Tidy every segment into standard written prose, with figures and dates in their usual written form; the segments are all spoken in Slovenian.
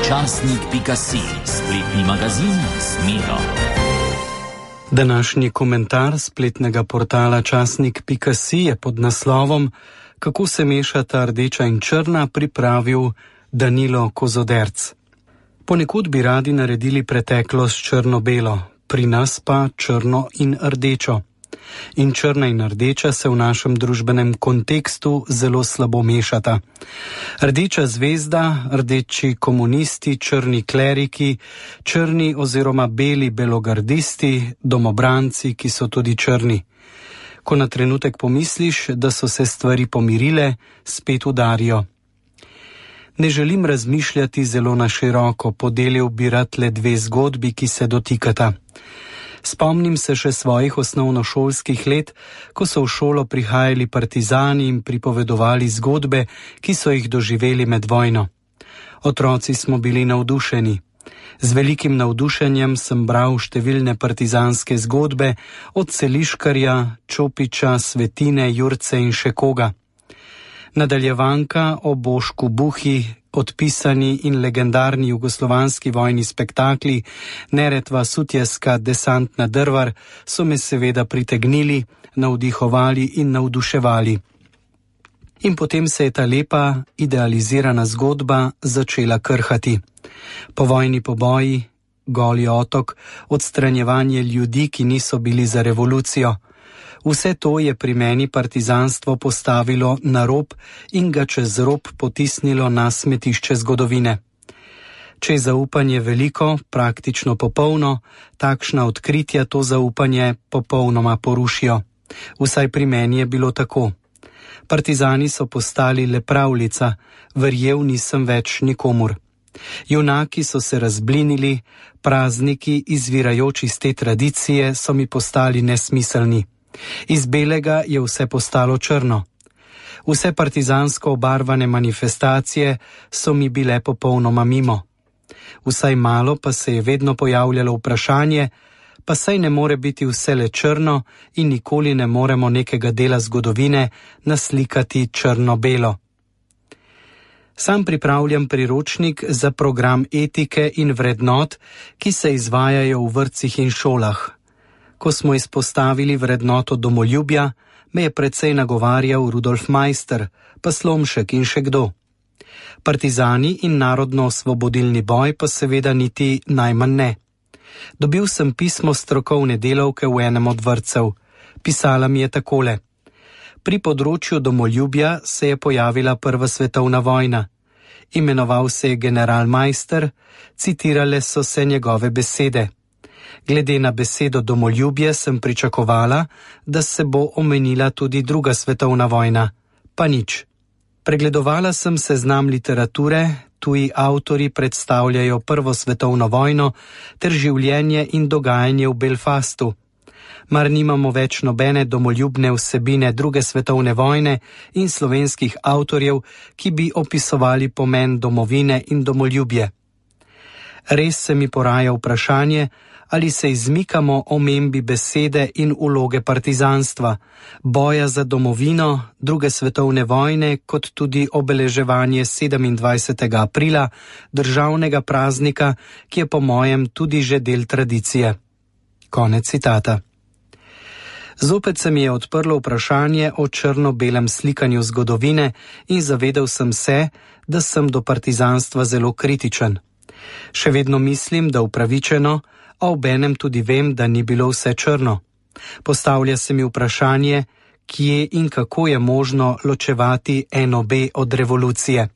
Časnik.si, spletni magazin z Miro. Današnji komentar spletnega portala Časnik.si je pod naslovom Kako se mešata rdeča in črna pripravil Danilo Kozoderc. Ponekud bi radi naredili preteklost črno-belo, pri nas pa črno in rdečo. In črna in rdeča se v našem družbenem kontekstu zelo slabo mešata. Rdeča zvezda, rdeči komunisti, črni kleriki, črni oziroma beli belogardisti, domobranci, ki so tudi črni. Ko na trenutek pomisliš, da so se stvari pomirile, spet udarijo. Ne želim razmišljati zelo na široko, podelil bi rad le dve zgodbi, ki se dotikata. Spomnim se še svojih osnovnošolskih let, ko so v šolo prihajali partizani in pripovedovali zgodbe, ki so jih doživeli med vojno. Otroci smo bili navdušeni. Z velikim navdušenjem sem bral številne partizanske zgodbe, od Celiškarja, Čopiča, Svetine, Jurce in še koga. Nadaljevanka o Bošku Buhi, odpisani in legendarni jugoslovanski vojni spektakli Neretva, Sutjeska, Desant na Drvar so me seveda pritegnili, navdihovali in navduševali. In potem se je ta lepa, idealizirana zgodba začela krhati. Povojni poboji, Goli otok, odstranjevanje ljudi, ki niso bili za revolucijo. Vse to je pri meni partizanstvo postavilo na rob in ga čez rob potisnilo na smetišče zgodovine. Če je zaupanje veliko, praktično popolno, takšna odkritja to zaupanje popolnoma porušijo. Vsaj pri meni je bilo tako. Partizani so postali le pravljica, verjel nisem več nikomur. Junaki so se razblinili, prazniki, izvirajoči iz te tradicije, so mi postali nesmiselni. Iz belega je vse postalo črno. Vse partizansko obarvane manifestacije so mi bile popolnoma mimo. Vsaj malo pa se je vedno pojavljalo vprašanje, pa saj ne more biti vse le črno in nikoli ne moremo nekega dela zgodovine naslikati črno-belo. Sam pripravljam priročnik za program etike in vrednot, ki se izvajajo v vrtcih in šolah. Ko smo izpostavili vrednoto domoljubja, me je precej nagovarjal Rudolf Meister, pa Slomšek in še kdo. Partizani in narodno-osvobodilni boj pa seveda niti najmanj ne. Dobil sem pismo strokovne delavke v enem od vrtcev. Pisala mi je takole. Pri področju domoljubja se je pojavila Prva svetovna vojna. Imenoval se je general Meister, citirale so se njegove besede. Glede na besedo domoljubje sem pričakovala, da se bo omenila tudi Druga svetovna vojna. Pa nič. Pregledovala sem seznam literature, tuji avtori predstavljajo Prvo svetovno vojno ter življenje in dogajanje v Belfastu. Mar nimamo več nobene domoljubne vsebine Druge svetovne vojne in slovenskih avtorjev, ki bi opisovali pomen domovine in domoljubje. Res se mi poraja vprašanje, ali se izmikamo omembi besede in vloge partizanstva, boja za domovino, Druge svetovne vojne, kot tudi obeleževanje 27. aprila, državnega praznika, ki je po mojem tudi že del tradicije. Konec citata. Zopet se mi je odprlo vprašanje o črno-belem slikanju zgodovine in zavedel sem se, da sem do partizanstva zelo kritičen. Še vedno mislim, da upravičeno, a obenem tudi vem, da ni bilo vse črno. Postavlja se mi vprašanje, kje in kako je možno ločevati NOB od revolucije.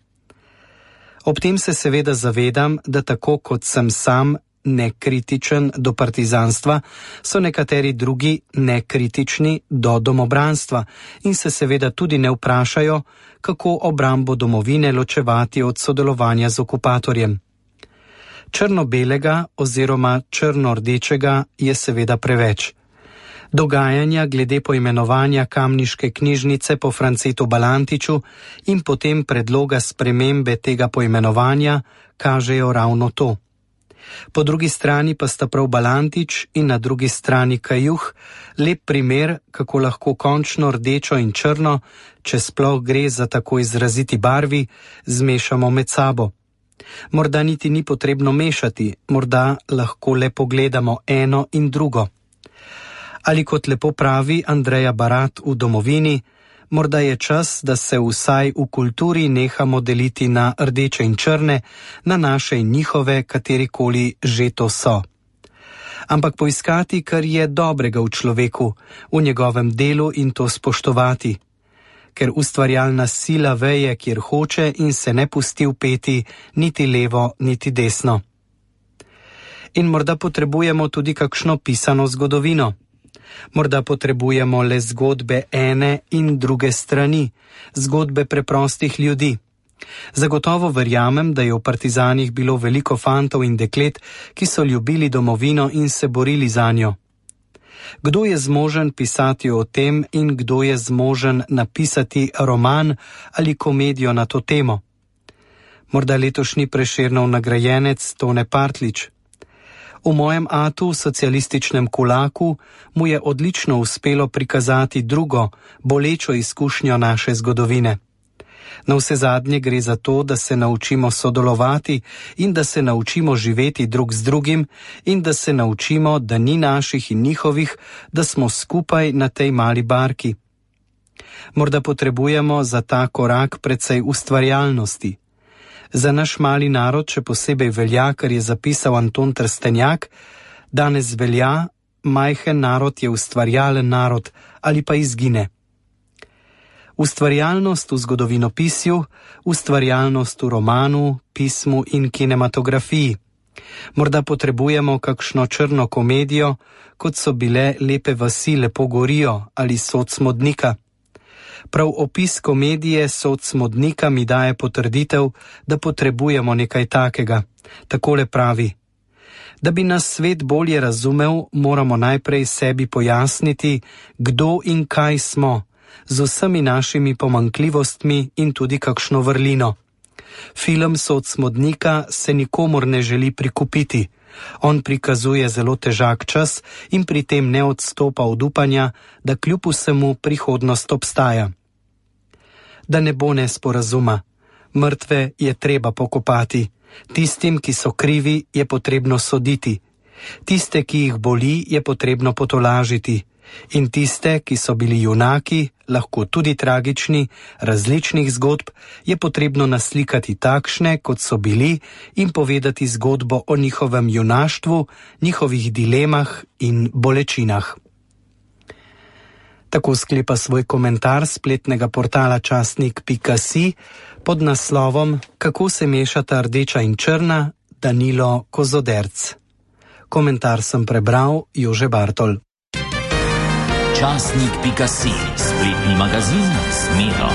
Ob tem se seveda zavedam, da tako kot sem sam nekritičen do partizanstva, so nekateri drugi nekritični do domobranstva in se seveda tudi ne vprašajo, kako obrambo domovine ločevati od sodelovanja z okupatorjem. Črno-belega oziroma črno-rdečega je seveda preveč. Dogajanja glede poimenovanja kamniške knjižnice po Francetu Balantiču in potem predloga spremembe tega poimenovanja kažejo ravno to. Po drugi strani pa sta prav Balantič in na drugi strani Kajuh lep primer, kako lahko končno rdečo in črno, če sploh gre za tako izraziti barvi, zmešamo med sabo. Morda niti ni potrebno mešati, morda lahko le pogledamo eno in drugo. Ali kot lepo pravi Andreja Barat v Domovini, morda je čas, da se vsaj v kulturi nehamo deliti na rdeče in črne, na naše in njihove, katerikoli že to so. Ampak poiskati, kar je dobrega v človeku, v njegovem delu in to spoštovati. Ker ustvarjalna sila veje, kjer hoče in se ne pusti vpeti niti levo, niti desno. In morda potrebujemo tudi kakšno pisano zgodovino. Morda potrebujemo le zgodbe ene in druge strani, zgodbe preprostih ljudi. Zagotovo verjamem, da je v partizanih bilo veliko fantov in deklet, ki so ljubili domovino in se borili zanjo. Kdo je zmožen pisati o tem in kdo je zmožen napisati roman ali komedijo na to temo? Morda letošnji Prešernov nagrajenec Tone Partlič. V mojem atu, socialističnem kulaku, mu je odlično uspelo prikazati drugo, bolečo izkušnjo naše zgodovine. Navsezadnje gre za to, da se naučimo sodelovati in da se naučimo živeti drug z drugim in da se naučimo, da ni naših in njihovih, da smo skupaj na tej mali barki. Morda potrebujemo za ta korak precej ustvarjalnosti. Za naš mali narod še posebej velja, kar je zapisal Anton Trstenjak, danes velja, majhen narod je ustvarjalen narod ali pa izgine. Ustvarjalnost v zgodovinopisju, ustvarjalnost v romanu, pismu in kinematografiji. Morda potrebujemo kakšno črno komedijo, kot so bile Lepe vasi lepo gorijo ali Sod smodnika. Prav opis komedije Sod smodnika mi daje potrditev, da potrebujemo nekaj takega. Takole pravi: da bi nas svet bolje razumel, moramo najprej sebi pojasniti, kdo in kaj smo, z vsemi našimi pomanjkljivostmi in tudi kakšno vrlino. Film Sod smodnika se nikomur ne želi prikupiti. On prikazuje zelo težak čas in pri tem ne odstopa od upanja, da kljub vsemu prihodnost obstaja. Da ne bo nesporazuma. Mrtve je treba pokopati. Tistim, ki so krivi, je potrebno soditi. Tiste, ki jih boli, je potrebno potolažiti. In tiste, ki so bili junaki, lahko tudi tragični, različnih zgodb, je potrebno naslikati takšne, kot so bili, in povedati zgodbo o njihovem junaštvu, njihovih dilemah in bolečinah. Tako sklepa svoj komentar spletnega portala časnik.si pod naslovom Kako se mešata rdeča in črna, Danilo Kozoderc. Komentar sem prebral Jože Bartol. Časnik.si, spletni magazin z Miro.